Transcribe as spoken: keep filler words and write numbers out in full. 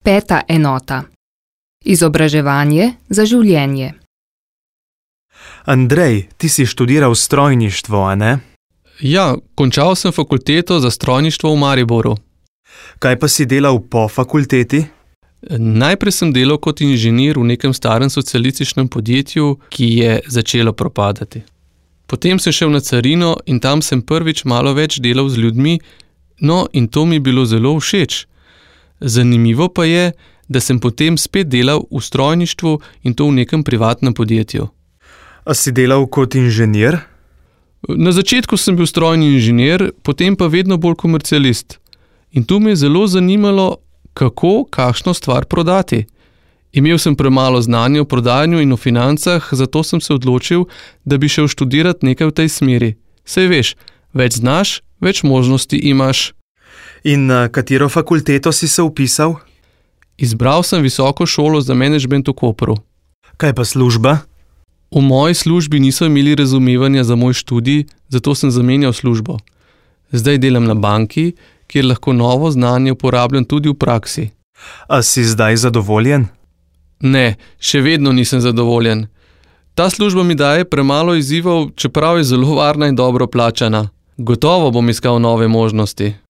Peta enota. Izobraževanje za življenje. Andrej, ti si študiral strojništvo, a ne? Ja, končal sem fakulteto za strojništvo v Mariboru. Kaj pa si delal po fakulteti? Najprej sem delal kot inženir v nekem starem socialističnem podjetju, ki je začelo propadati. Potem sem šel na carino in tam sem prvič malo več delal z ljudmi, no in to mi je bilo zelo všeč. Zanimivo pa je, da sem potem spet delal v strojništvu in to v nekem privatnem podjetju. A si delal kot inženir? Na začetku sem bil strojni inženir, potem pa vedno bolj komercialist. In tu me je zelo zanimalo, kako kakšno stvar prodati. Imel sem premalo znanja o prodajanju in o financah, zato sem se odločil, da bi šel študirati nekaj v tej smeri. Saj veš, več znaš, več možnosti imaš. In na katero fakulteto si se vpisal? Izbral sem visoko šolo za menedžment v Kopru. Kaj pa služba? V moji službi niso imeli razumevanja za moj študij, zato sem zamenjal službo. Zdaj delam na banki, kjer lahko novo znanje uporabljam tudi v praksi. A si zdaj zadovoljen? Ne, še vedno nisem zadovoljen. Ta služba mi daje premalo izzivov, čeprav je zelo varna in dobro plačana. Gotovo bom iskal nove možnosti.